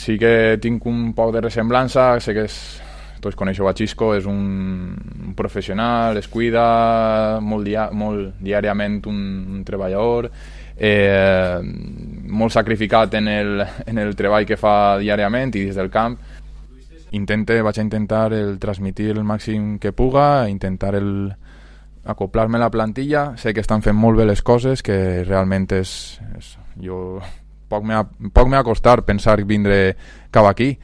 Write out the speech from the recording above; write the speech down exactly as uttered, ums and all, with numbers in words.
sí que tinc un poc de ressemblança, sé que és, tots coneixeu a Xisco, és un, un professional, es cuida molt, dia, molt diàriament, un, un treballador, eh, molt sacrificat en el, en el treball que fa diàriament i des del camp. Intente, vaig a intentar el transmitir el màxim que puga, intentar el acoplar-me a la plantilla. Sé que estan fent molt bé les coses, que realment és... és jo poc m'ha poc m'ha costat pensar vindre cap aquí,